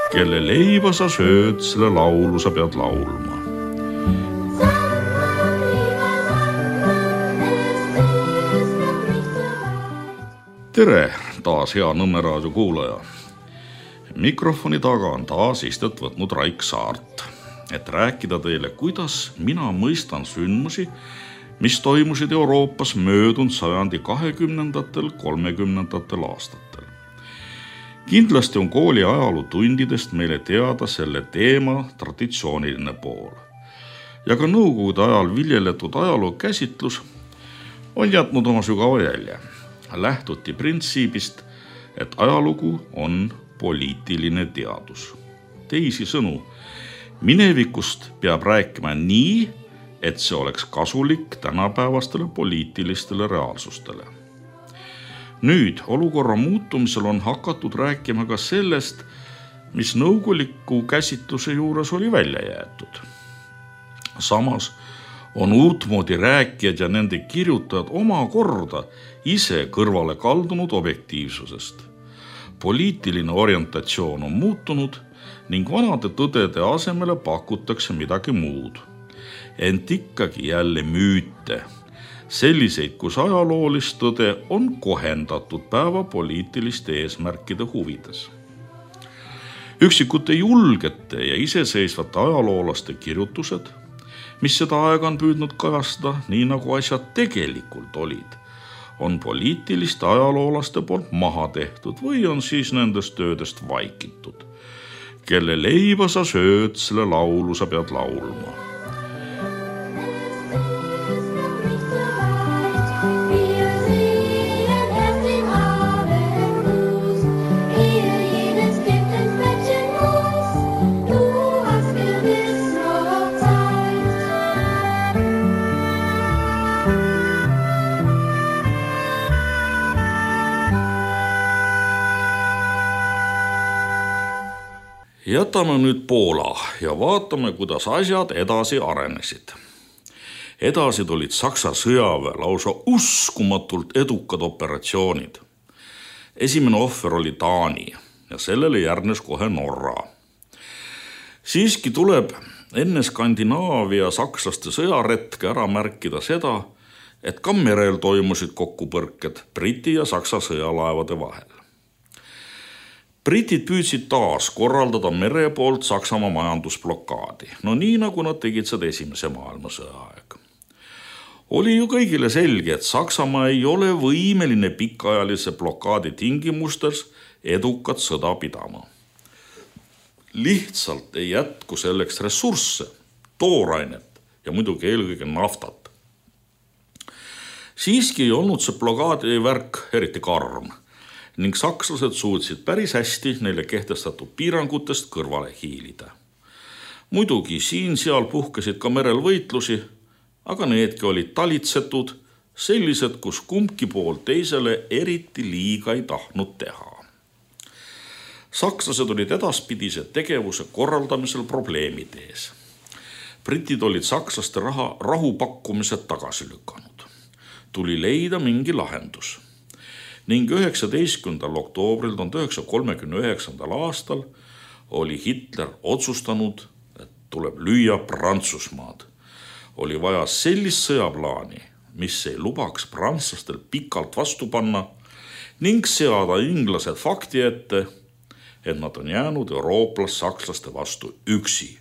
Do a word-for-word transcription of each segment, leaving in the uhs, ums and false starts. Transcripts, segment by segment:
Kelle leiba sa sööd, selle laulu sa pead laulma. Tere, taas hea Nõmme raadio kuulaja. Mikrofoni taga on taas istet võtnud Raik Saart, et rääkida teile, kuidas mina mõistan sündmusi, mis toimusid Euroopas möödunud sajandi kahekümnendatel, kolmekümnendatel aastatel. Kindlasti on kooli ajalootundidest meile teada selle teema traditsiooniline pool. Ja ka nõukogude ajal viljeletud ajaloo käsitlus on jätnud oma sügava jälje. Lähtuti printsiibist, et ajalugu on poliitiline teadus. Teisi sõnu, minevikust peab rääkima nii, et see oleks kasulik tänapäevastele poliitilistele reaalsustele. Nüüd olukorra muutumisel on hakatud rääkima ka sellest, mis nõukoguliku käsitluse juures oli välja jäetud. Samas on uutmoodi rääkijad ja nende kirjutajad oma korda ise kõrvale kaldunud objektiivsusest. Poliitiline orientatsioon on muutunud ning vanade tõdede asemele pakutakse midagi muud. Ent ikkagi jälle müüte, selliseid, kus ajaloolist tõde on kohendatud päeva poliitiliste eesmärkide huvides. Üksikute julgete ja iseseisvate ajaloolaste kirjutused, mis seda aega on püüdnud kajastada, nii nagu asjad tegelikult olid, on poliitiliste ajaloolaste poolt maha tehtud või on siis nendest töödest vaikitud. Kelle leiba sa sööd, selle laulu sa pead laulma. Jätame nüüd Poola ja vaatame, kuidas asjad edasi arenesid. Edasi tulid Saksa sõjaväe lausa uskumatult edukad operatsioonid. Esimene ohver oli Taani ja sellele järgnes kohe Norra. Siiski tuleb enne Skandinaavia sakslaste sõjaretke ära märkida seda, et ka merel toimusid kokkupõrked Briti ja Saksa sõjalaevade vahel. Britid püüdsid taas korraldada mere poolt Saksamaa majandusblokaadi, no nii nagu nad tegid seda esimese maailmasõja aeg. Oli ju kõigile selge, et Saksamaa ei ole võimeline pikaajalise blokaadi tingimustes edukat sõda pidama. Lihtsalt ei jätku selleks ressursse, toorainet ja muidugi eelkõige naftat. Siiski ei olnud see blokaadi värk eriti karm ning sakslased suutsid päris hästi neile kehtestatud piirangutest kõrvale hiilida. Muidugi siin-seal puhkesid ka merel võitlusi, aga needki olid talitsetud, sellised, kus kumbki pool teisele eriti liiga ei tahtnud teha. Sakslased olid edaspidise tegevuse korraldamisel probleemid ees. Britid olid sakslaste raha rahupakkumised tagasi lükanud. Tuli leida mingi lahendus. Ning üheksateistkümnendal oktoobril tuhande üheksasaja kolmekümne üheksandal aastal oli Hitler otsustanud, et tuleb lüüa Prantsusmaad. Oli vaja sellist sõjaplaani, mis ei lubaks prantslastel pikalt vastu panna ning seada inglased fakti ette, et nad on jäänud eurooplas sakslaste vastu üksi.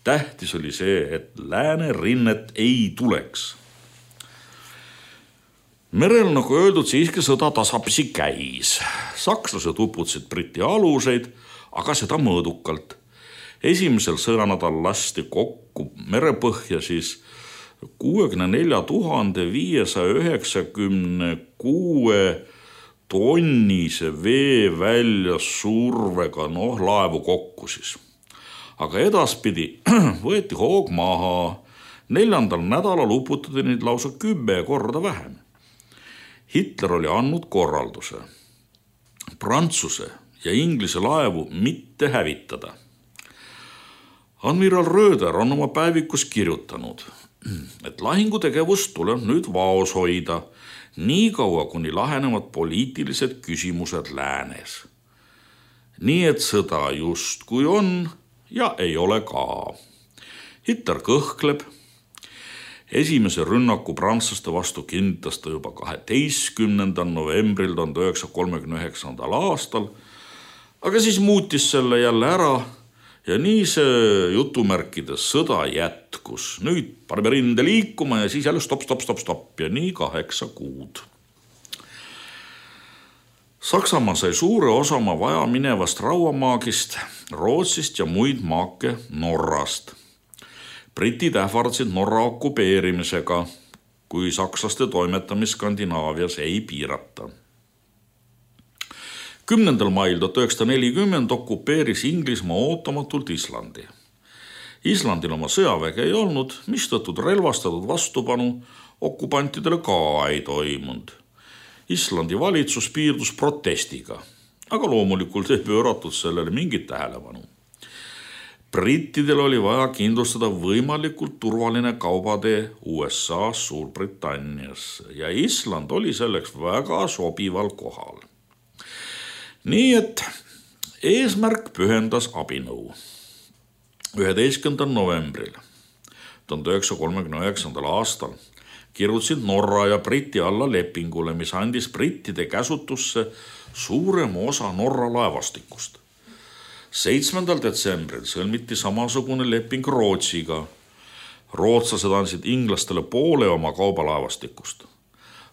Tähtis oli see, et lääne rinnet ei tuleks. Merel, nagu öeldud, siiski sõda tasapisi käis. Sakslased uputasid Briti aluseid, aga seda mõõdukalt. Esimesel sõjanädal lasti kokku merepõhja siis kuuekümne nelja tuhande viiesaja üheksakümne kuue tonnise vee välja survega, noh, laevu kokku siis. Aga edaspidi võeti hoog maha. Neljandal nädalal uputati neid lausa kümme korda vähem. Hitler oli andnud korralduse Prantsuse ja Inglise laevu mitte hävitada. Admiral Röder on oma päevikus kirjutanud, et lahingutegevust tuleb nüüd vaos hoida, nii kaua kuni lahenevad poliitilised küsimused läänes. Nii et sõda just kui on ja ei ole ka. Hitler kõhkleb. Esimese rünnaku prantslaste vastu kinnitas ta juba kaheteistkümnendal novembril tuhande üheksasaja kolmekümne üheksandal aastal, aga siis muutis selle jälle ära ja nii see jutumärkides sõda jätkus. Nüüd paneme rinde liikuma ja siis jälle stop, stop, stop, stop ja nii kaheksa kuud. Saksamaa sai suure osa oma vaja minevast rauamaagist, Rootsist ja muid maake Norrast. Britid ähvardasid Norra okupeerimisega, kui sakslaste toimetamist Skandinaavias ei piirata. kümnendal mail tuhat üheksasada nelikümmend okupeeris Inglismaa ootamatult Islandi. Islandil oma sõjaväge ei olnud, mistõttu relvastatud vastupanu okupantidele ka ei toimunud. Islandi valitsus piirdus protestiga, aga loomulikult ei pööratud sellele mingit tähelepanu. Brittidel oli vaja kindlustada võimalikult turvaline kaubatee U S A-s Suurbritannias ja Island oli selleks väga sobival kohal. Nii et eesmärk pühendas abinõu. üheteistkümnendal novembril tuhande üheksasaja kolmekümne üheksandal aastal kirjutasid Norra ja Briti alla lepingule, mis andis brittide käsutusse suurema osa Norra laevastikust. seitsmendal detsembril sõlmiti samasugune leping Rootsiga. Rootslased andsid inglastele poole oma kaubalaevastikust.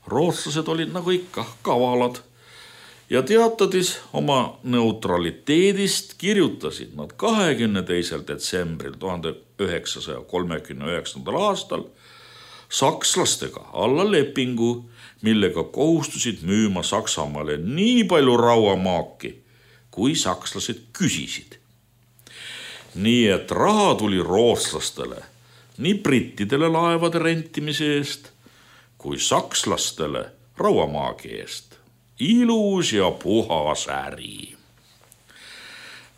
Rootslased olid nagu ikka kavalad ja teatades oma neutraliteedist kirjutasid nad kahekümne teisel detsembril tuhande üheksasaja kolmekümne üheksandal aastal sakslastega alla lepingu, millega kohustusid müüma Saksamaale nii palju rauamaaki, kui sakslased küsisid. Nii et raha tuli rootslastele nii brittidele laevade rentimise eest, kui sakslastele rauamaagi eest. Ilus ja puhas äri.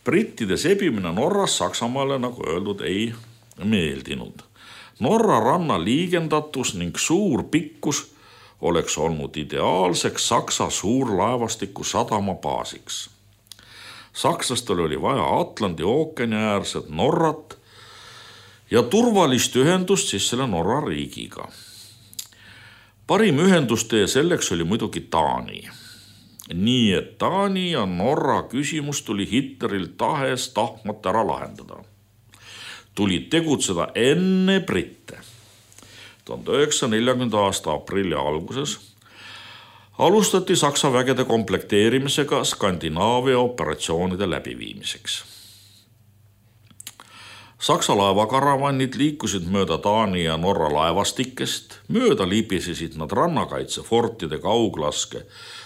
Brittide sebimine Norras Saksamaale, nagu öeldud, ei meeldinud. Norra ranna liigendatus ning suur pikkus oleks olnud ideaalseks Saksa suurlaevastiku sadama baasiks. Sakslastel oli vaja Atlandi ookeani äärset Norrat ja turvalist ühendust siis selle Norra riigiga. Parim ühendustee selleks oli muidugi Taani. Nii et Taani ja Norra küsimus tuli Hitleril tahes tahtmata ära lahendada. Tuli tegutseda enne britte. tuhande üheksasaja neljakümnenda aasta aprilli alguses alustati Saksa vägede komplekteerimisega Skandinaavia operatsioonide läbiviimiseks. Saksa laevakaravannid liikusid mööda Taani ja Norra laevastikest, mööda libisesid nad rannakaitsefortide kauglaske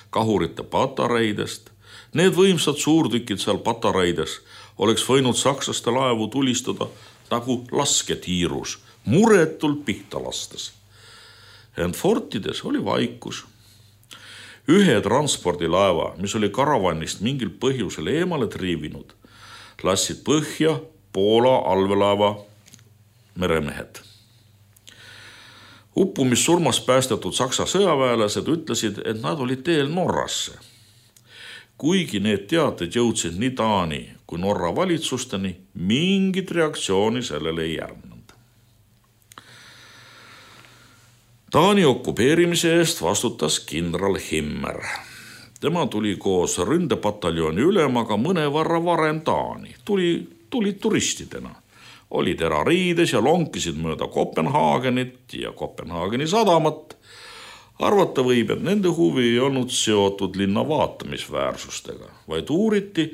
kahurite patareidest. Need võimsad suurtükid seal patareides oleks võinud sakslaste laevu tulistada nagu lasketiirus, muretult pihta lastes. Ent fortides oli vaikus. Ühe transpordilaeva, mis oli karavannist mingil põhjusel eemale triivinud, lassid põhja Poola allveelaeva meremehed. Uppumissurmas päästetud Saksa sõjaväelased ütlesid, et nad olid teel Norrasse. Kuigi need teated jõudsid nii Taani kui Norra valitsusteni, mingit reaktsiooni sellele ei järgnenud. Taani okupeerimise eest vastutas kindral Himmer. Tema tuli koos ründepataljoni ülemaga mõnevarra varem Taani. Tuli, tuli turistidena. Olid erariides ja lonkisid mööda Kopenhaagenit ja Kopenhaageni sadamat. Arvata võib, et nende huvi ei olnud seotud linna vaatamisväärsustega, vaid uuriti,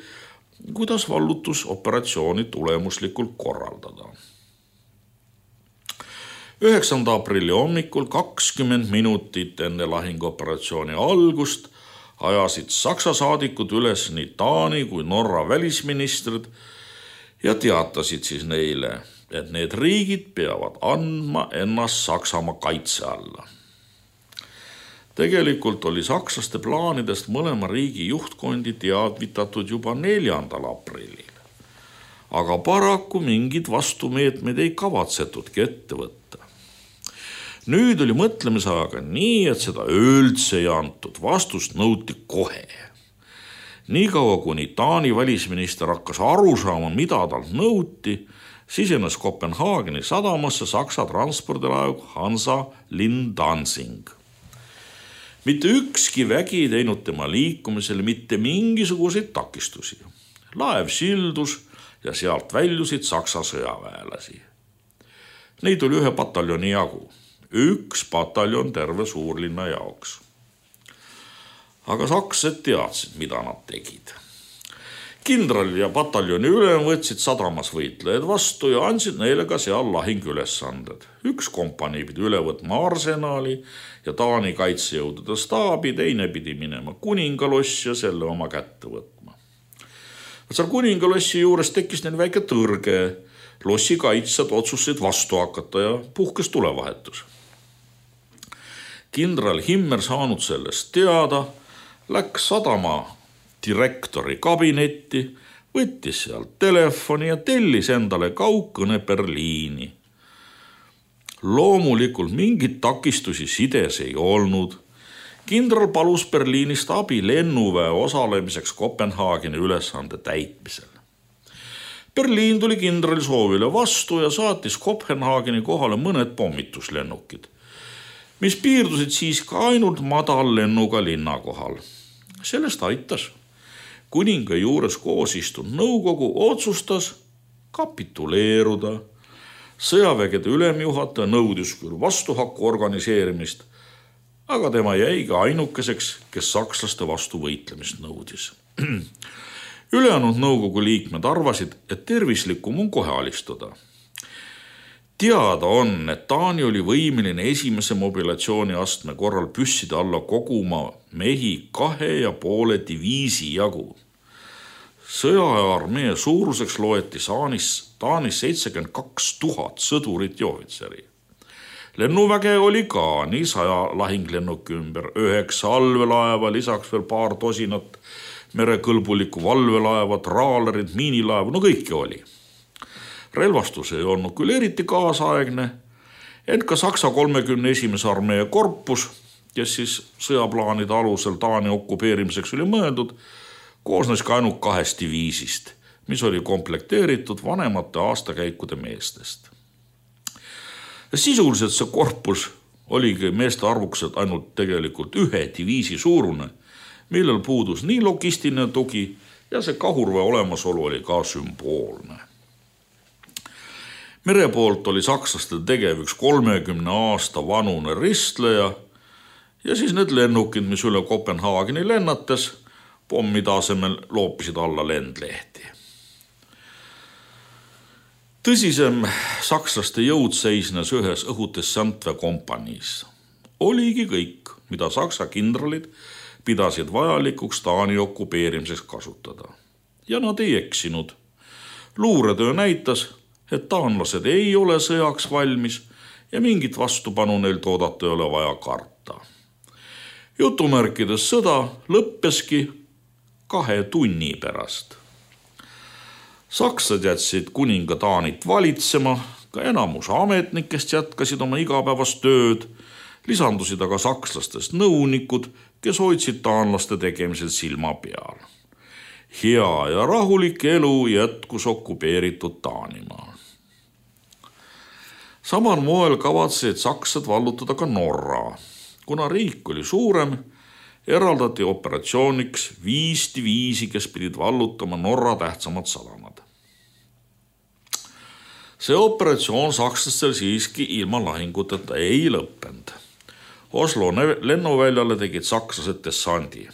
kuidas vallutusoperatsiooni tulemuslikult korraldada. üheksanda aprilli hommikul kakskümmend minutit enne lahinguoperatsiooni algust ajasid Saksa saadikud üles nii Taani kui Norra välisministrid ja teatasid siis neile, et need riigid peavad andma ennast Saksamaa kaitse alla. Tegelikult oli sakslaste plaanidest mõlema riigi juhtkondi teadvitatud juba neljandal aprillil. Aga paraku mingid vastumeetmed ei kavatsetudki ette võtta. Nüüd oli mõtlemisajaga nii, et seda üldse ei antud, vastust nõuti kohe. Niikaua kuni Taani välisminister hakkas aru saama, mida talt nõuti, sisenes Kopenhaageni sadamasse Saksa transpordilaev Hansa Linn Dansing. Mitte ükski vägi ei teinud tema liikumisele mitte mingisuguseid takistusi. Laev sildus ja sealt väljusid Saksa sõjaväelasi. Neid oli ühe pataljoni jagu, üks pataljon terve suurlinna jaoks. Aga sakslased teadsid, mida nad tegid. Kindral ja pataljoni ülem võtsid sadamas võitlejad vastu ja andsid neile ka seal lahingülesanded. Üks kompanii pidi üle võtma arsenali ja Taani kaitsejõudude staabi, teine pidi minema kuningalossi ja selle oma kätte võtma. Seal kuningalossi juures tekkis neil väike tõrge. Lossi kaitsjad otsustasid vastu hakata ja puhkes tulevahetus. Kindral Himmer saanud sellest teada, läks sadama direktori kabinetti, võttis sealt telefoni ja tellis endale kaugkõne Berliini. Loomulikult mingit takistusi sides ei olnud. Kindral palus Berliinist abi lennuväe osalemiseks Kopenhaageni ülesande täitmisel. Berliin tuli kindrali soovile vastu ja saatis Kopenhaageni kohale mõned pommituslennukid, mis piirdusid siis ka ainult madallennuga linna kohal. Sellest aitas. Kuninga juures koos istunud nõukogu otsustas kapituleeruda. Sõjavägede ülemjuhataja nõudis küll vastuhakku organiseerimist, aga tema jäigi ainukeseks, kes sakslaste vastu võitlemist nõudis. Ülejäänud nõukogu liikmed arvasid, et tervislikum on kohe alistuda. Teada on, et Taani oli võimeline esimese mobilatsiooni astme korral püsside alla koguma mehi kahe ja poole diviisi jagu. Sõjaaja armee suuruseks loeti Taanis, Taanis seitsekümmend kaks tuhat sõdurit ja ohvitseri. Lennuväge oli ka nii saja lahinglennuki ümber, üheksa allvelaeva, lisaks veel paar tosinat merekõlbulikku valvelaeva, traalerid, miinilaevu, no kõike oli. Relvastus ei olnud küll eriti kaasaegne, ent ka Saksa kolmekümne esimese armee korpus, kes siis sõjaplaanide alusel Taani okupeerimiseks oli mõeldud, koosnes ka ainult kahest diviisist, mis oli komplekteeritud vanemate aastakäikude meestest. Ja sisuliselt see korpus oligi meeste arvukuselt ainult tegelikult ühe diviisi suurune, millel puudus nii logistiline tugi ja see kahurväe olemasolu oli ka sümboolne. Mere poolt oli sakslaste tegev üks kolmekümne aasta vanune ristleja ja siis need lennukid, mis üle Kopenhaageni lennates, pommide asemel loopisid alla lendlehti. Tõsisem sakslaste jõud seisnes ühes õhutessantve kompaniis. Oligi kõik, mida saksa kindralid pidasid vajalikuks Taani okupeerimiseks kasutada. Ja nad ei eksinud. Luuretöö näitas, et taanlased ei ole sõjaks valmis ja mingit vastupanu neil toodata ei ole vaja karta. Jutumärkides sõda lõppeski kahe tunni pärast. Saksad jätsid kuninga Taanit valitsema, ka enamus ametnikest jätkasid oma igapäevast tööd, lisandusid aga sakslastest nõunikud, kes hoidsid taanlaste tegemisel silma peal. Hea ja rahulik elu jätkus okupeeritud Taanimaal. Samal moel kavatsesid saksad vallutada ka Norra. Kuna riik oli suurem, eraldati operatsiooniks viis diviisi, kes pidid vallutama Norra tähtsamad sadamad. See operatsioon sakslastel siiski ilma lahinguteta ei lõppenud. Oslo lennuväljale tegid sakslased dessandi.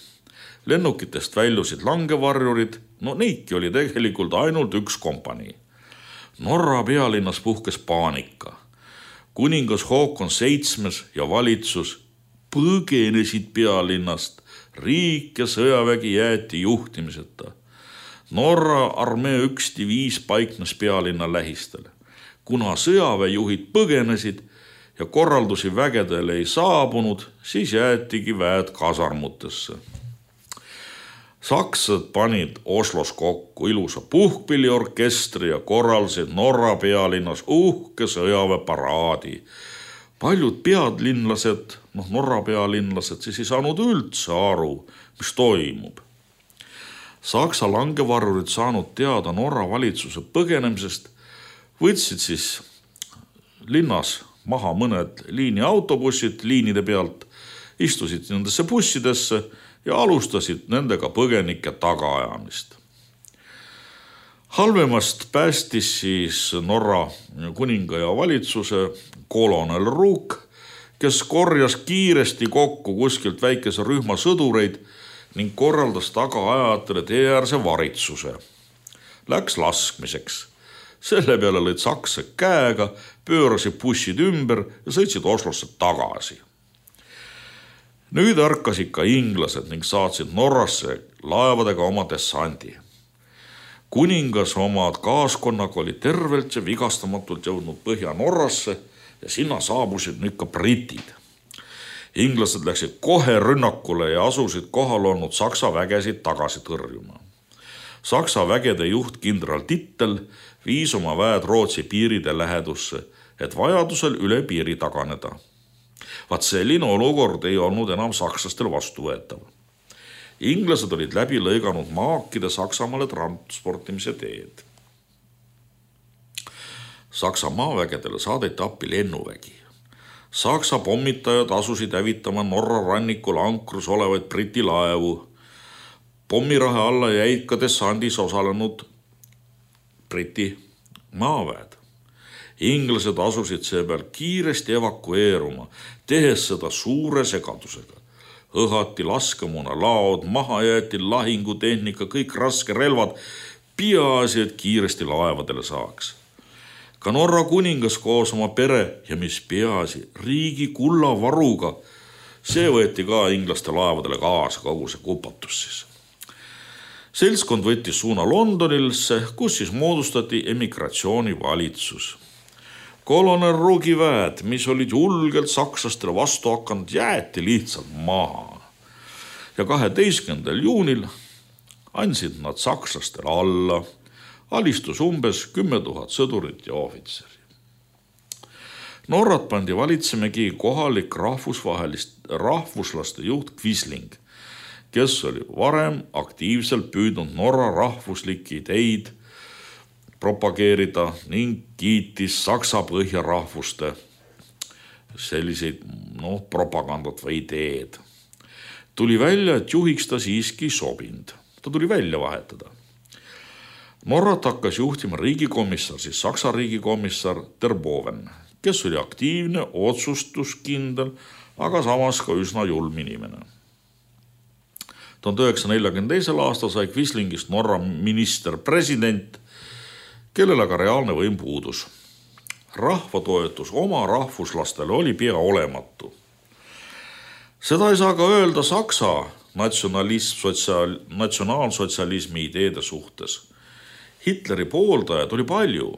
Lennukitest väljusid langevarjurid, no neidki oli tegelikult ainult üks kompanii. Norra pealinnas puhkes paanika. Kuningas Håkon seitsmes ja valitsus põgenesid pealinnast, riik ja sõjavägi jäeti juhtimiseta. Norra armee üks diviis paiknes pealinna lähistel. Kuna sõjaväejuhid põgenesid ja korraldusi vägedele ei saabunud, siis jäetigi väed kasarmutesse. Saksad panid Oslos kokku ilusa puhkpilliorkestri ja korraldasid Norra pealinnas uhke sõjaväeparaadi. Paljud pealinlased, noh Norra pealinlased, siis ei saanud üldse aru, mis toimub. Saksa langevarvurid saanud teada Norra valitsuse põgenemisest, võtsid siis linnas maha mõned liiniautobussid liinide pealt, istusid nendesse bussidesse ja alustasid nendega põgenike tagaajamist. Halvemast päästis siis Norra kuninga ja valitsuse kolonel Ruuk, kes korjas kiiresti kokku kuskilt väikese rühma sõdureid ning korraldas tagaajatele teeäärse varitsuse. Läks laskmiseks. Selle peale lõid saksa käega, pöörasid bussid ümber ja sõitsid Oslosse tagasi. Nüüd ärkasid ka inglased ning saatsid Norrasse laevadega oma dessandi. Kuningas oma kaaskonnaga oli tervelt ja vigastamatult jõudnud Põhja-Norrasse ja sinna saabusid nüüd ka britid. Inglased läksid kohe rünnakule ja asusid kohal olnud saksa vägesid tagasi tõrjuma. Saksa vägede juht kindral Tittel viis oma väed Rootsi piiride lähedusse, et vajadusel üle piiri taganeda. Vaat selline olukord ei olnud enam sakslastel vastuvõetav. Inglased olid läbi lõiganud maakide Saksamaale transportimise teed. Saksa maavägedele saadeti appi lennuvägi. Saksa pommitajad asusid hävitama Norra rannikul ankrus olevaid briti laevu. Pommirahe alla jäid ka dessandis osalenud briti maaväed. Inglased asusid seepeal kiiresti evakueeruma, tehes seda suure segadusega. Õhati laskemoona laod, maha jäeti lahingutehnika, kõik raske relvad, peaasi, et kiiresti laevadele saaks. Ka Norra kuningas koos oma pere ja mis peaasi, riigi kullavaruga, see võeti ka inglaste laevadele kaasa, kogu see kupatus siis. Seltskond võttis suuna Londonilse, kus siis moodustati emigratsioonivalitsus. Kolonel Ruugi väed, mis olid julgelt sakslastele vastu hakanud, jäeti lihtsalt maha. Ja kaheteistkümnendal juunil andsid nad sakslastele alla. Alistus umbes kümme tuhat sõdurit ja ohvitseri. Norrat pandi valitsemegi kohalik rahvusvahelist rahvuslaste juht Quisling, kes oli varem aktiivselt püüdnud Norra rahvuslikke ideid propageerida ning kiitis Saksa põhjarahvuste selliseid no, propagandat või ideed. Tuli välja, et juhiks ta siiski sobind. Ta tuli välja vahetada. Norrat hakkas juhtima riigikomissar, siis Saksa riigikomissar Terboven, kes oli aktiivne, otsustuskindel, aga samas ka üsna julm inimene. tuhande üheksasaja neljakümne teisel aastal sai Quislingist Norra minister president, kellel aga reaalne võim puudus. Rahvatoetus oma rahvuslastele oli pea olematu. Seda ei saa ka öelda Saksa natsionalism, sotsiaal, natsionaalsotsialismi ideede suhtes. Hitleri pooldajad oli palju.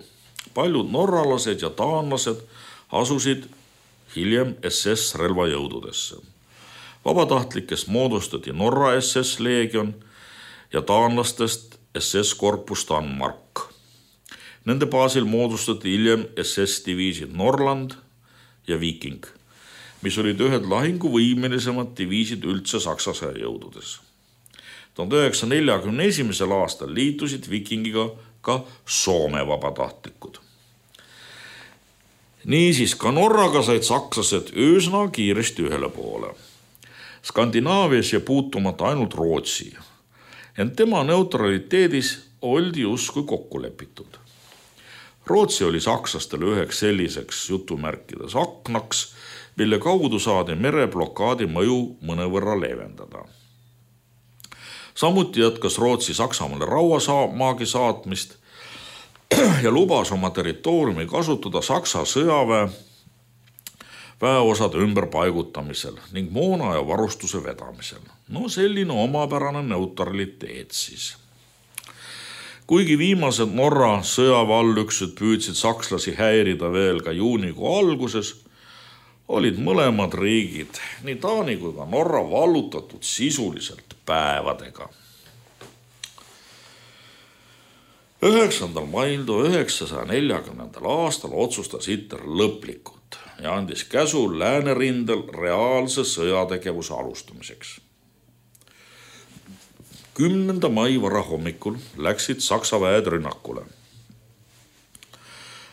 Paljud norralased ja taanlased asusid hiljem S S relvajõududesse. Vabatahtlikest moodustati Norra S S leegion ja taanlastest S S korpus Danmark. Nende baasil moodustati hiljem S S diviisid Norland ja Viking, mis olid ühed lahinguvõimelisemad diviisid üldse Saksa sõjajõududes. tuhande üheksasaja neljakümne esimesel aastal liitusid Vikingiga ka Soome vabatahtlikud. Niisiis ka Norraga said sakslased üsna kiiresti ühele poole. Skandinaavias ja puutumata ainult Rootsi, ent tema neutraliteedis oldi justkui kokku lepitud. Rootsi oli sakslastele üheks selliseks jutumärkides aknaks, mille kaudu saadi mereblokaadi mõju mõnevõrra leevendada. Samuti jätkas Rootsi Saksamaale rauamaagi saatmist ja lubas oma territooriumi kasutada Saksa sõjaväe väeosade ümberpaigutamisel ning moona ja varustuse vedamisel. No selline omapärane neutraliteet siis. Kuigi viimased Norra sõjaväeallüksused püüdsid sakslasi häirida veel ka juunikuu alguses, olid mõlemad riigid, nii Taani kui ka Norra, vallutatud sisuliselt päevadega. üheksandal mail tuhande üheksasaja neljakümnendal aastal otsustas Hitler lõplikult ja andis käsu läänerindel reaalse sõjategevuse alustamiseks. kümnenda mai varahommikul läksid Saksa väed rünnakule.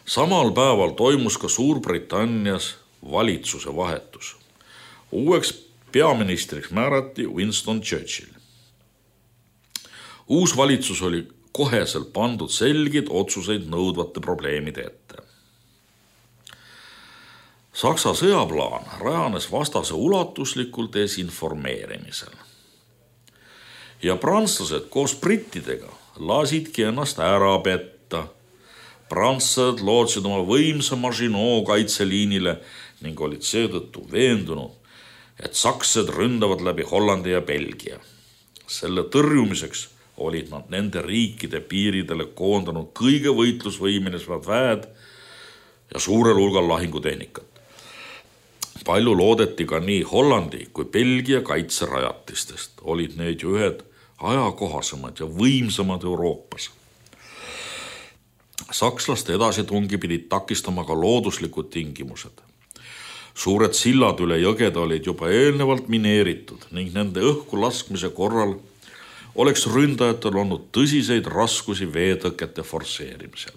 Samal päeval toimus ka Suurbritannias valitsuse vahetus. Uueks peaministriks määrati Winston Churchill. Uus valitsus oli koheselt pandud selgid otsuseid nõudvate probleemide ette. Saksa sõjaplaan rajanes vastase ulatuslikul desinformeerimisel. Ja prantslased koos brittidega lasidki ennast ära petta. Prantslased lootsid oma võimsa Maginot kaitseliinile ning olid seetõttu veendunud, et sakslased ründavad läbi Hollandi ja Belgia. Selle tõrjumiseks olid nad nende riikide piiridele koondanud kõige võitlusvõimelised väed ja suurel hulgal lahingutehnikat. Palju loodeti ka nii Hollandi kui Belgia kaitserajatistest. Olid need ju ühed ajakohasemad ja võimsamad Euroopas. Sakslaste edasitungi pidid takistama ka looduslikud tingimused. Suured sillad üle jõgede olid juba eelnevalt mineeritud ning nende õhku laskmise korral oleks ründajatel olnud tõsiseid raskusi veetõkete forseerimisel.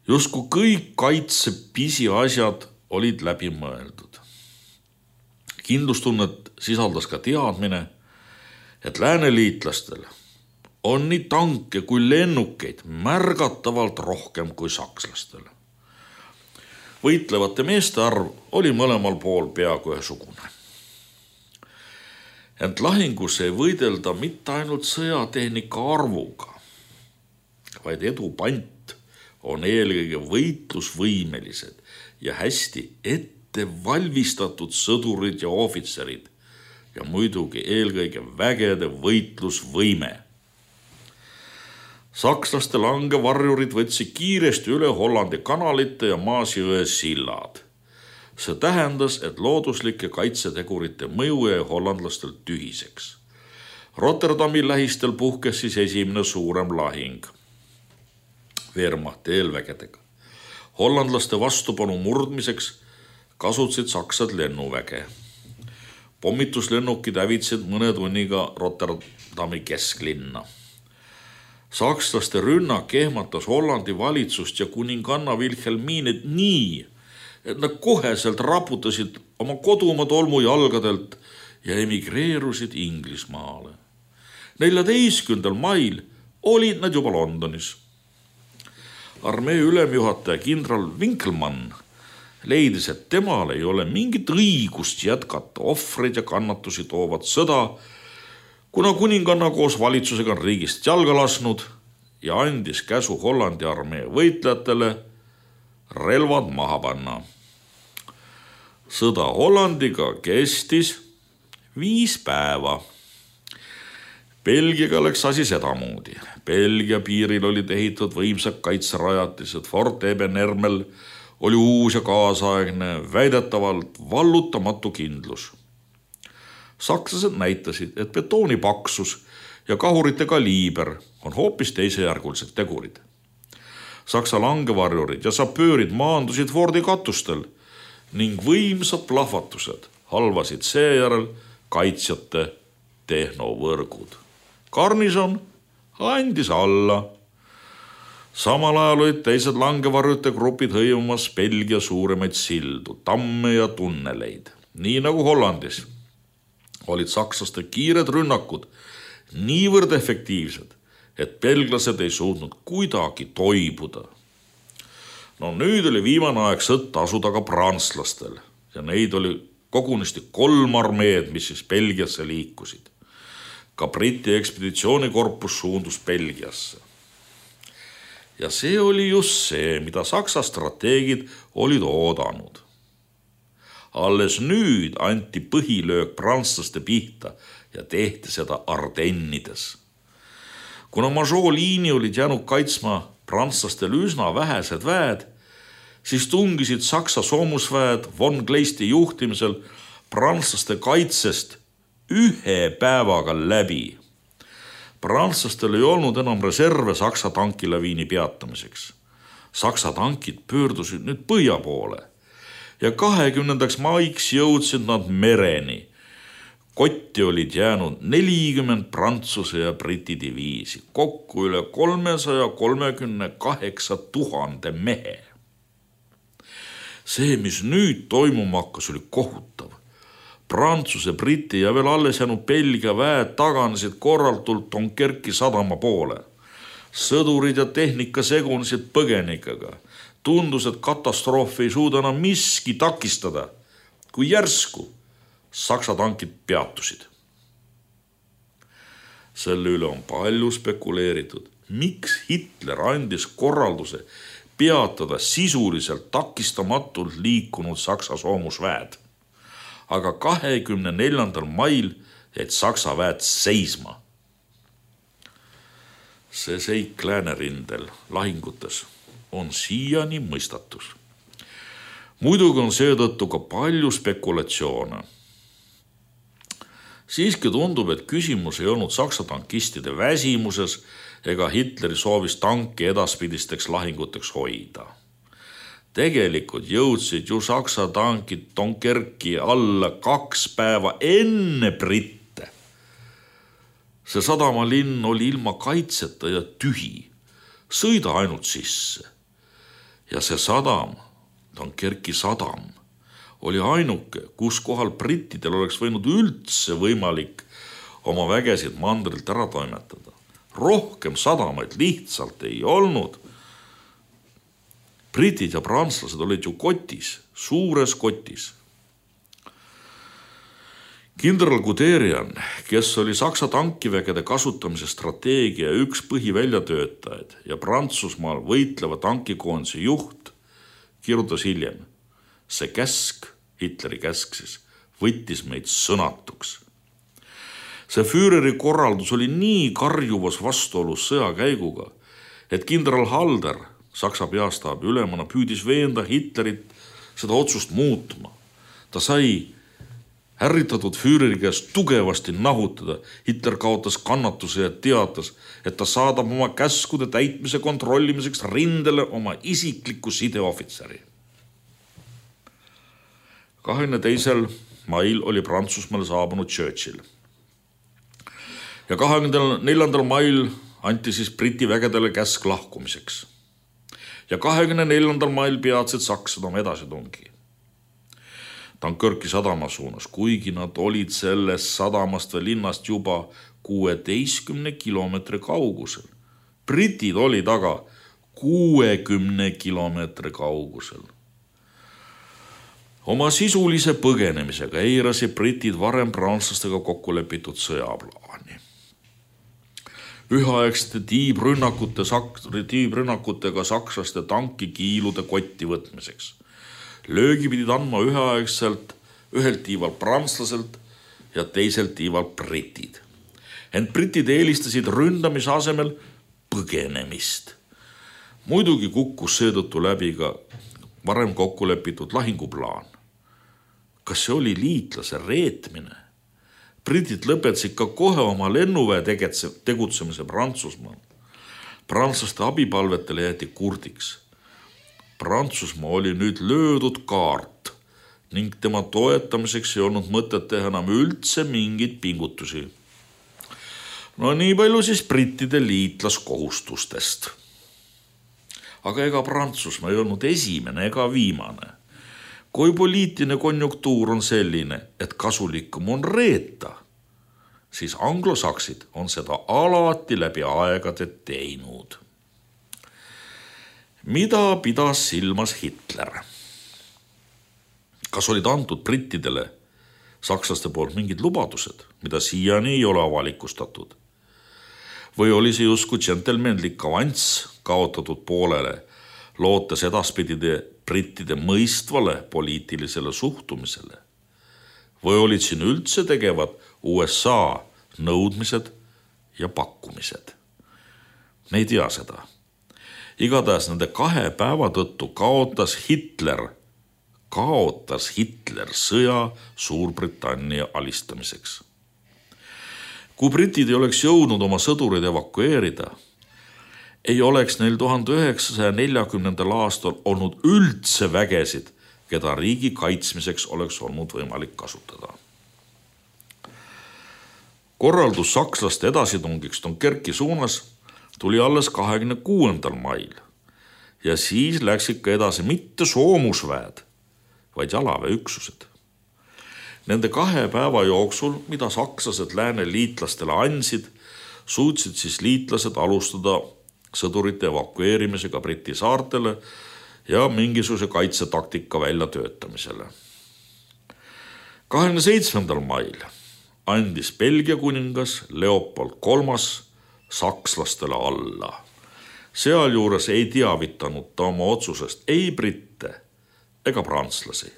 Justkui kõik kaitse pisiasjad olid läbi mõeldud. Kindlustunnet sisaldas ka teadmine, et lääneliitlastel on nii tanke kui lennukeid märgatavalt rohkem kui sakslastel. Võitlevate meeste arv oli mõlemal pool peaaegu ühesugune. Ent lahingus ei võidelda mitte ainult sõjatehnika arvuga, vaid edu pant on eelkõige võitlusvõimelised ja hästi ette valmistatud sõdurid ja ohvitserid ja muidugi eelkõige vägede võitlusvõime. Sakslaste langevarjurid võtsid kiiresti üle Hollandi kanalite ja Maasjõe sillad. See tähendas, et looduslike kaitsetegurite mõju jäi hollandlastel tühiseks. Rotterdami lähistel puhkes siis esimene suurem lahing Wehrmachti eelvägedega. Hollandlaste vastupanu murdmiseks kasutasid saksad lennuväge. Pommituslennukid hävitsid mõne tunniga Rotterdami kesklinna. Sakslaste rünnak ehmatas Hollandi valitsust ja kuninganna Wilhelmined nii, et nad koheselt raputasid oma kodumaa tolmu jalgadelt ja emigreerusid Inglismaale. neljateistkümnendal mail olid nad juba Londonis. Armee ülemjuhataja kindral Winkelmann leidis, et temal ei ole mingit õigust jätkata ohvreid ja kannatusi toovat sõda, kuna kuninganna koos valitsusega on riigist jalga lasnud ja andis käsu Hollandi armee võitlejatele relvad maha panna. Sõda Hollandiga kestis viis päeva. Belgiaga läks asi sedamoodi. Belgia piiril olid ehitatud võimsad kaitserajatised. Fort Ebenermel oli uus ja kaasaegne, väidetavalt vallutamatu kindlus. Sakslased näitasid, et betooni paksus ja kahurite kaliiber on hoopis teisejärgulised tegurid. Saksa langevarjurid ja sapöörid maandusid Fordi katustel ning võimsad plahvatused halvasid seejärel kaitsjate tehnovõrgud. Garnison andis alla. Samal ajal olid teised langevarjute grupid hõimumas Belgia suuremaid sildu, tamme ja tunneleid. Nii nagu Hollandis olid sakslaste kiired rünnakud niivõrd efektiivsed, et belglased ei suutnud kuidagi toibuda. No nüüd oli viimane aeg sõtta asuda ka prantslastel ja neid oli kogunisti kolm armeed, mis siis Belgiasse liikusid. Ka Briti ekspeditsioonikorpus suundus Belgiasse. Ja see oli just see, mida Saksa strateegid olid oodanud. Alles nüüd anti põhilöök prantslaste pihta ja tehti seda Ardennides. Kuna Maginot liini olid jäänud kaitsma prantslastel üsna vähesed väed, siis tungisid Saksa soomusväed von Kleisti juhtimisel prantslaste kaitsest ühe päevaga läbi. Prantslastel ei olnud enam reserve Saksa tankilaviini peatamiseks. Saksa tankid pöördusid nüüd põhja poole ja kahekümnendaks maiks jõudsid nad mereni, Kotti olid jäänud nelikümmend Prantsuse ja Briti diviisi, kokku üle kolmesaja kolmekümne kaheksa tuhande mehe. See, mis nüüd toimuma hakkas, oli kohutav. Prantsuse, Briti ja veel alles jäänud Belgia väed taganesid korraltult Dunkerki sadama poole. Sõdurid ja tehnika segunesid põgenikega. Tundus, et katastroofi ei suuda enam miski takistada, kui järsku Saksa tankid peatusid. Selle üle on palju spekuleeritud, miks Hitler andis korralduse peatada sisuliselt takistamatult liikunud Saksa soomusväed. Aga kahekümne neljandal mail jäid Saksa väed seisma. See seik Läänerindel lahingutes on siiani mõistatus. Muidugi on seetõttu ka palju spekulatsioone. Siiski tundub, et küsimus ei olnud Saksa tankistide väsimuses ega Hitleri soovis tanki edaspidisteks lahinguteks hoida. Tegelikult jõudsid ju Saksa tankid Dunkerki alla kaks päeva enne britte. See sadamalinn oli ilma kaitseta ja tühi. Sõida ainult sisse. Ja see sadam, Dunkerki sadam, oli ainuke, kus kohal brittidel oleks võinud üldse võimalik oma vägesid mandrilt ära toimetada. Rohkem sadamaid lihtsalt ei olnud. Britid ja prantslased olid ju kotis, suures kotis. Kindral Guderian, kes oli Saksa tankivägede kasutamise strateegia üks põhiväljatöötajaid ja Prantsusmaal võitleva tankikoondise juht, kirjutas hiljem. See käsk, Hitleri käsk siis, võttis meid sõnatuks. See Führeri korraldus oli nii karjuvas vastuolus sõjakäiguga, et kindral Halder, Saksa peastaabi ülemana, püüdis veenda Hitlerit seda otsust muutma. Ta sai ärritatud Führeri käest tugevasti nahutada. Hitler kaotas kannatuse ja teatas, et ta saadab oma käskude täitmise kontrollimiseks rindele oma isikliku sideohvitseri. kahekümne teisel mail oli Prantsusmaale saabunud Churchill. Ja kahekümne neljandal mail anti siis Briti vägedele käsk lahkumiseks. Ja kahekümne neljandal mail peatsid saksad oma edasitungi Dunkerki sadama suunas, kuigi nad olid sellest sadamast või linnast juba kuueteistkümne kilomeetri kaugusel. Britid olid aga kuuekümne kilomeetri kaugusel. Oma sisulise põgenemisega eirasi britid varem prantslastega kokku lepitud sõjaplaani. Üheaegsete tiibrünnakute, tiibrünnakutega sakslaste tankikiilude kotti võtmiseks. Löögi pidid andma üheaegselt ühelt tiivalt prantslaselt ja teiselt tiivalt britid. Ent britid eelistasid ründamise asemel põgenemist. Muidugi kukkus seetõttu läbi ka varem kokku lepitud lahinguplaan. Kas see oli liitlase reetmine? Britid lõpetasid ka kohe oma lennuväe tegutsemise Prantsusmaal. Prantslaste abipalvetele jäeti kurdiks. Prantsusmaa oli nüüd löödud kaart ning tema toetamiseks ei olnud mõtet teha enam üldse mingeid pingutusi. No nii palju siis brittide liitlaskohustustest. Aga ega Prantsusmaa ei olnud esimene ega viimane. Kui poliitiline konjunktuur on selline, et kasulikum on reeta, siis anglosaksid on seda alati läbi aegade teinud. Mida pidas silmas Hitler? Kas olid antud brittidele sakslaste poolt mingid lubadused, mida siiani ei ole avalikustatud? Või oli see justkui džentelmenlik avanss kaotatud poolele, lootes edaspidide brittide mõistvale poliitilisele suhtumisele? Või olid siin üldse tegevad U S A nõudmised ja pakkumised? Me ei tea seda. Igatahes nende kahe päeva tõttu kaotas Hitler, kaotas Hitler sõja Suurbritannia alistamiseks. Kui britid ei oleks jõudnud oma sõdurid evakueerida, ei oleks neil tuhande üheksasaja neljakümnendal aastal olnud üldse vägesid, keda riigi kaitsmiseks oleks olnud võimalik kasutada. korraldus sakslaste edasitungiks Dunkerki suunas tuli alles kahekümne kuuendal mail ja siis läksid ka edasi mitte soomusväed, vaid jalaväeüksused. Nende kahe päeva jooksul, mida sakslased lääne liitlastele andsid, suutsid siis liitlased alustada sõdurite evakueerimisega Briti saartele ja mingisuguse kaitsetaktika väljatöötamisele. kahekümne seitsmendal mail andis Belgia kuningas Leopold kolmas sakslastele alla. Sealjuures ei teavitanud ta oma otsusest ei britte ega prantslasi.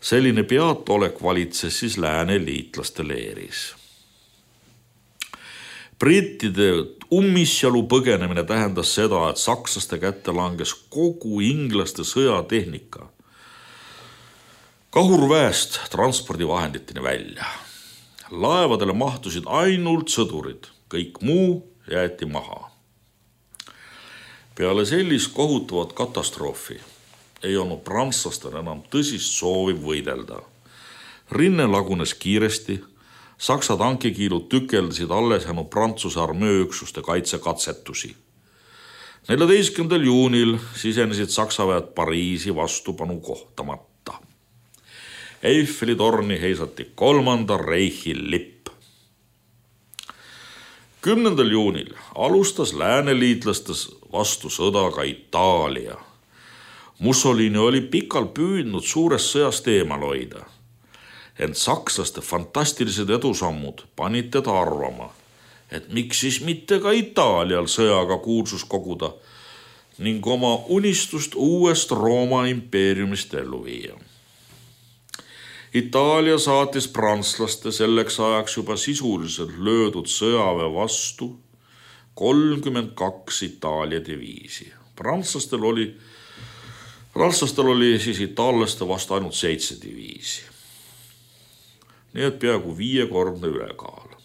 Selline peataolek valitses siis lääne liitlaste leeris. Brittide ummisjalu põgenemine tähendas seda, et sakslaste kätte langes kogu inglaste sõjatehnika kahurväest transpordivahenditeni välja. Laevadele mahtusid ainult sõdurid, kõik muu jäeti maha. Peale sellist kohutavat katastroofi ei olnud prantslastel enam tõsist soovi võidelda. Rinne lagunes kiiresti, saksa tankikiilud tükeldasid alles jäänud Prantsuse armeeüksuste kaitsekatsetusi. neljateistkümnendal juunil sisenesid saksaväed Pariisi vastupanu kohtamata. Eiffeli torni heisati kolmanda reihi lipp. kümnendal juunil alustas lääneliitlastes vastu sõda ka Itaalia. Mussolini oli pikalt püüdnud suurest sõjast eemal hoida, ent sakslaste fantastilised edusammud panid teda arvama, et miks siis mitte ka Itaalial sõjaga kuulsus koguda ning oma unistust uuest Rooma impeeriumist ellu viia. Itaalia saatis prantslaste selleks ajaks juba sisuliselt löödud sõjaväe vastu kolmkümmend kaks Itaalia diviisi. Prantslastel oli, prantslastel oli siis itaallaste vastu ainult seitse diviisi. Nii et peaaegu viiekordne ülekaal.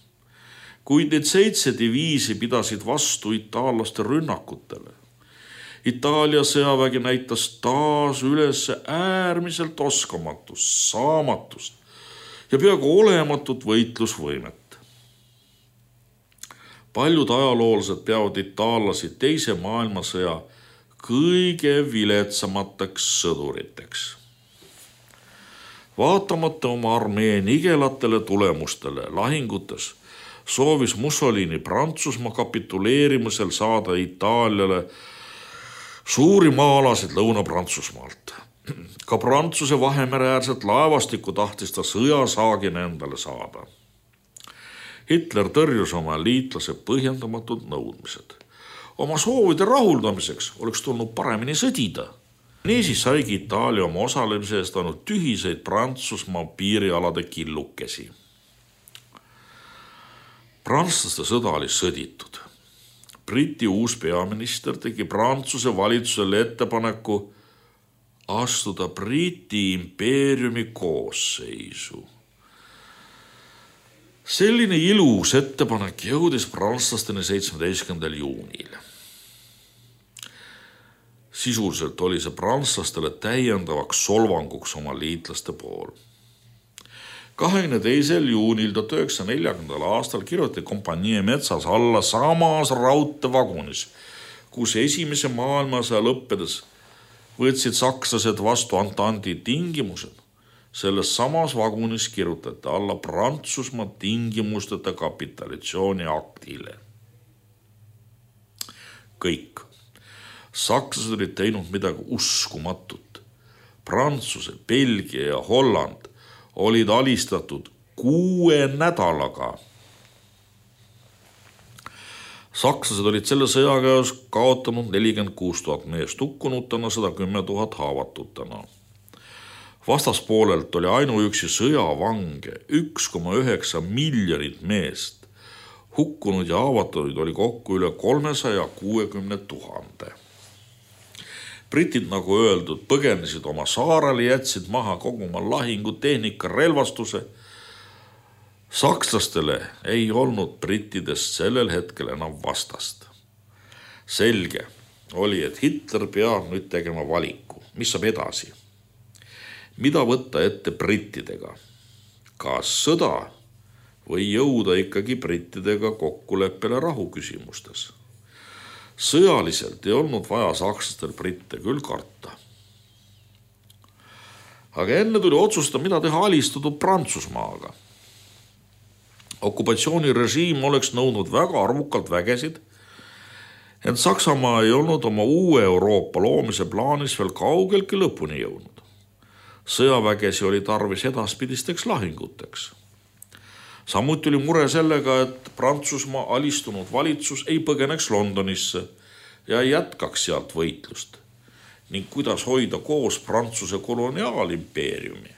Kuid need seitse diviisi pidasid vastu itaallaste rünnakutele. Itaalia sõjavägi näitas taas üles äärmiselt oskamatust, saamatust ja peaaegu olematut võitlusvõimet. Paljud ajaloolased peavad itaallasi teise maailmasõja kõige viletsamateks sõduriteks. Vaatamata oma armee nigelatele tulemustele lahingutes soovis Mussolini Prantsusmaa kapituleerimisel saada Itaaliale suuri maa-alasid Lõuna-Prantsusmaalt. Ka Prantsuse Vahemereäärset laevastikku tahtis ta sõjasaagina endale saada. Hitler tõrjus oma liitlase põhjendamatud nõudmised. Oma soovide rahuldamiseks oleks tulnud paremini sõdida. Niisiis saigi Itaalia oma osalemise eest ainult tühiseid Prantsusmaa piirialade killukesi. Prantslaste sõda oli sõditud. Briti uus peaminister tegi Prantsuse valitsusele ettepaneku astuda Briti impeeriumi koosseisu. Selline ilus ettepanek jõudis prantslasteni seitsmeteistkümnendal juunil. Sisuliselt oli see prantslastele täiendavaks solvanguks oma liitlaste pool. kahekümne teisel juunil tuhat üheksasaja neljakümnendal aastal kirjutati kompanii metsas alla samas raudteevagunis, kus esimese maailmasõja lõppedes võtsid sakslased vastu Antandi tingimused. Selles samas vagunis kirjutati alla Prantsusmaa tingimusteta kapitulatsiooni aktile. Kõik. Sakslased olid teinud midagi uskumatut. Prantsuse, Belgia ja Holland olid alistatud kuue nädalaga. Sakslased olid selle sõjakäes kaotanud nelikümmend kuus tuhat meest hukkunutena, sada kümme tuhat haavatutena. Vastaspoolelt oli ainuüksi sõjavange üks koma üheksa miljonit meest. Hukkunud ja haavatuid oli kokku üle kolmesaja kuuekümne tuhande. Britid, nagu öeldud, põgenesid oma saarele, jätsid maha kogu oma lahingutehnika relvastuse. Sakslastele ei olnud brittidest sellel hetkel enam vastast. Selge oli, et Hitler peab nüüd tegema valiku. Mis saab edasi? Mida võtta ette brittidega? Kas sõda või jõuda ikkagi brittidega kokkuleppele rahuküsimustes. Sõjaliselt ei olnud vaja sakslastel britte küll karta. Aga enne tuli otsustada, mida teha alistatud Prantsusmaaga. Okupatsioonirežiim oleks nõudnud väga arvukalt vägesid, ent Saksamaa ei olnud oma uue Euroopa loomise plaanis veel kaugeltki lõpuni jõudnud. Sõjavägesi oli tarvis edaspidisteks lahinguteks. Samuti oli mure sellega, et Prantsusmaa alistunud valitsus ei põgeneks Londonisse ja ei jätkaks sealt võitlust ning kuidas hoida koos Prantsuse koloniaalimpeeriumi.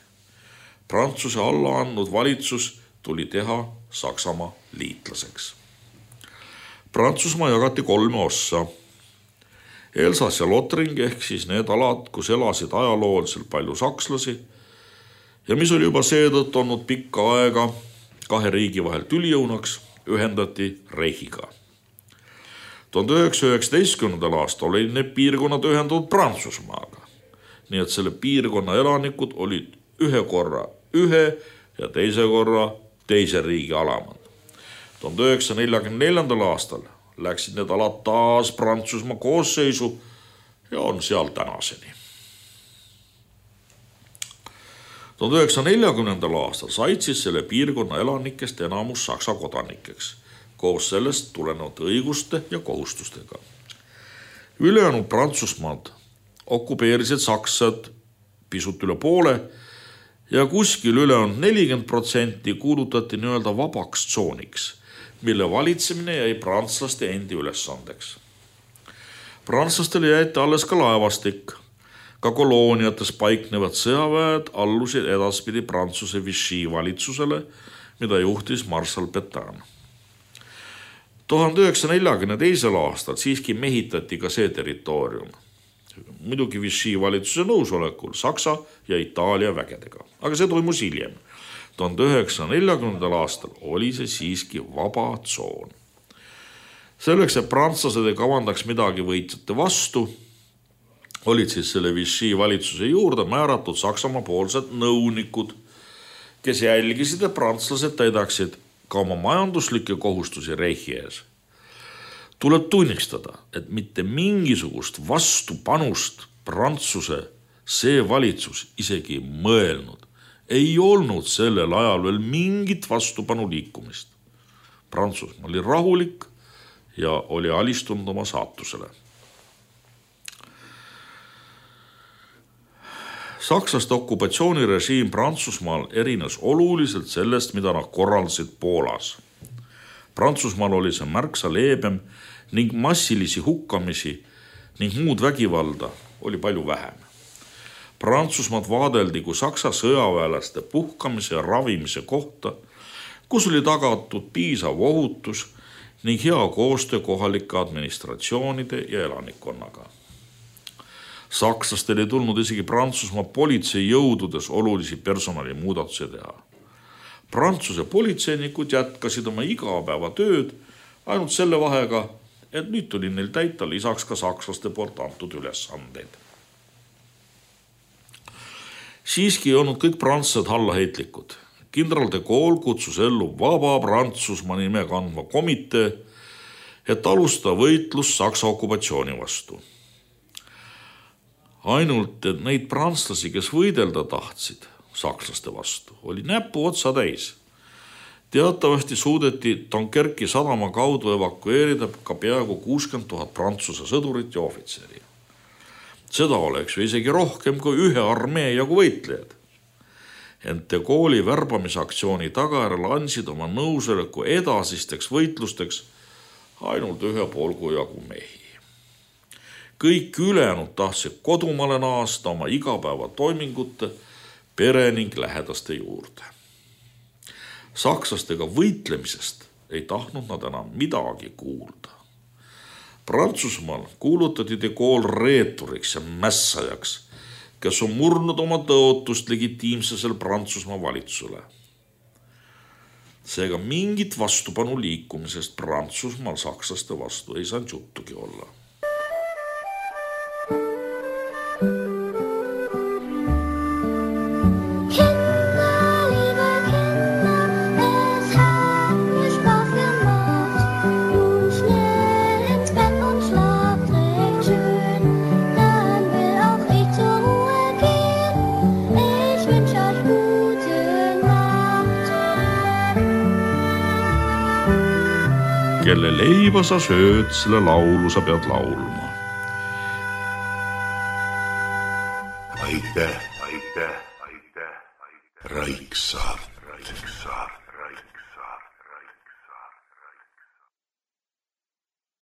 Prantsuse alla andnud valitsus tuli teha Saksamaa liitlaseks. Prantsusmaa jagati kolme ossa. Elsass ja Lotring ehk siis need alad, kus elasid ajalooliselt palju sakslasi ja mis oli juba seetõttu olnud pikka aega kahe riigi vahel tülijõunaks, ühendati Reichiga. tuhande üheksasaja üheksateistkümnendal aastal olid need piirkonnad ühendatud Prantsusmaaga. Nii et selle piirkonna elanikud olid ühe korra ühe ja teise korra teise riigi alamad. tuhande üheksasaja neljakümne neljandal aastal läksid need alad taas Prantsusmaa koosseisu ja on seal tänaseni. tuhande üheksasaja neljakümnendal aastal said siis selle piirkonna elanikest enamus Saksa kodanikeks, koos sellest tulenevate õiguste ja kohustustega. Ülejäänud Prantsusmaad okupeerisid saksad pisut üle poole ja kuskil ülejäänud nelikümmend protsenti kuulutati nii-öelda vabaks tsooniks, mille valitsemine jäi prantslaste endi ülesandeks. Prantslastele jäeti alles ka laevastik. Ka kolooniates paiknevad sõjaväed allusid edaspidi Prantsuse Vichy valitsusele, mida juhtis marssal Pétain. tuhande üheksasaja neljakümne teisel aastal siiski mehitati ka see territoorium. Muidugi Vichy valitsuse nõusolekul Saksa ja Itaalia vägedega, aga see toimus hiljem. tuhande üheksasaja neljakümnendal aastal oli see siiski vaba tsoon. Selleks, et prantslased ei kavandaks midagi võitjate vastu, olid siis selle Vichy valitsuse juurde määratud Saksamaa poolsed nõunikud, kes jälgisid, et prantslased täidaksid ka oma majanduslikke kohustusi Reichi ees. Tuleb tunnistada, et mitte mingisugust vastupanust Prantsuse see valitsus isegi mõelnud. Ei olnud sellel ajal veel mingit vastupanu liikumist. Prantsusmaa oli rahulik ja oli alistunud oma saatusele. Sakslaste okupatsioonirežiim Prantsusmaal erines oluliselt sellest, mida nad korraldasid Poolas. Prantsusmaal oli see märksa leebem ning massilisi hukkamisi ning muud vägivalda oli palju vähem. Prantsusmaad vaadeldi kui Saksa sõjaväelaste puhkamise ja ravimise kohta, kus oli tagatud piisav ohutus ning hea koostöö kohalike administratsioonide ja elanikkonnaga. Sakslastel ei tulnud isegi Prantsusmaa politseijõududes olulisi personalimuudatusi teha. Prantsuse politseinikud jätkasid oma igapäeva tööd ainult selle vahega, et nüüd tuli neil täita lisaks ka sakslaste poolt antud ülesandeid. Siiski ei olnud kõik prantslased hallaheitlikud. Kindral de Gaulle kutsus ellu vaba Prantsusmaa nime kandva komitee, et alustada võitlus Saksa okupatsiooni vastu. Ainult, et neid prantslasi, kes võidelda tahtsid sakslaste vastu, oli näpu otsa täis. Teatavasti suudeti Dunkerki sadama kaudu evakueerida ka peaaegu kuuskümmend tuhat prantsuse sõdurit ja ohvitseri. Seda oleks ju isegi rohkem kui ühe armee jagu võitlejad. Ent de Gaulle'i värbamisaktsiooni tagajärjel andsid oma nõusoleku edasisteks võitlusteks ainult ühe poolgu jagu mehi. Kõik ülejäänud tahtsid kodumaale naasta oma igapäeva toimingute, pere ning lähedaste juurde. Sakslastega võitlemisest ei tahtnud nad enam midagi kuulda. Prantsusmaal kuulutati de Gaulle reeturiks ja mässajaks, kes on murnud oma tõotust legitiimsesel Prantsusmaa valitsusele. Seega mingit vastupanu liikumisest Prantsusmaal sakslaste vastu ei saanud juttugi olla. Kinder, liebe Kinder, es kelle leiba sa sööd, selle laulu sa pead laulma. Aitäh, aitäh, aitäh, aitäh, Raiksaart, Raiksaart, Raiksaart.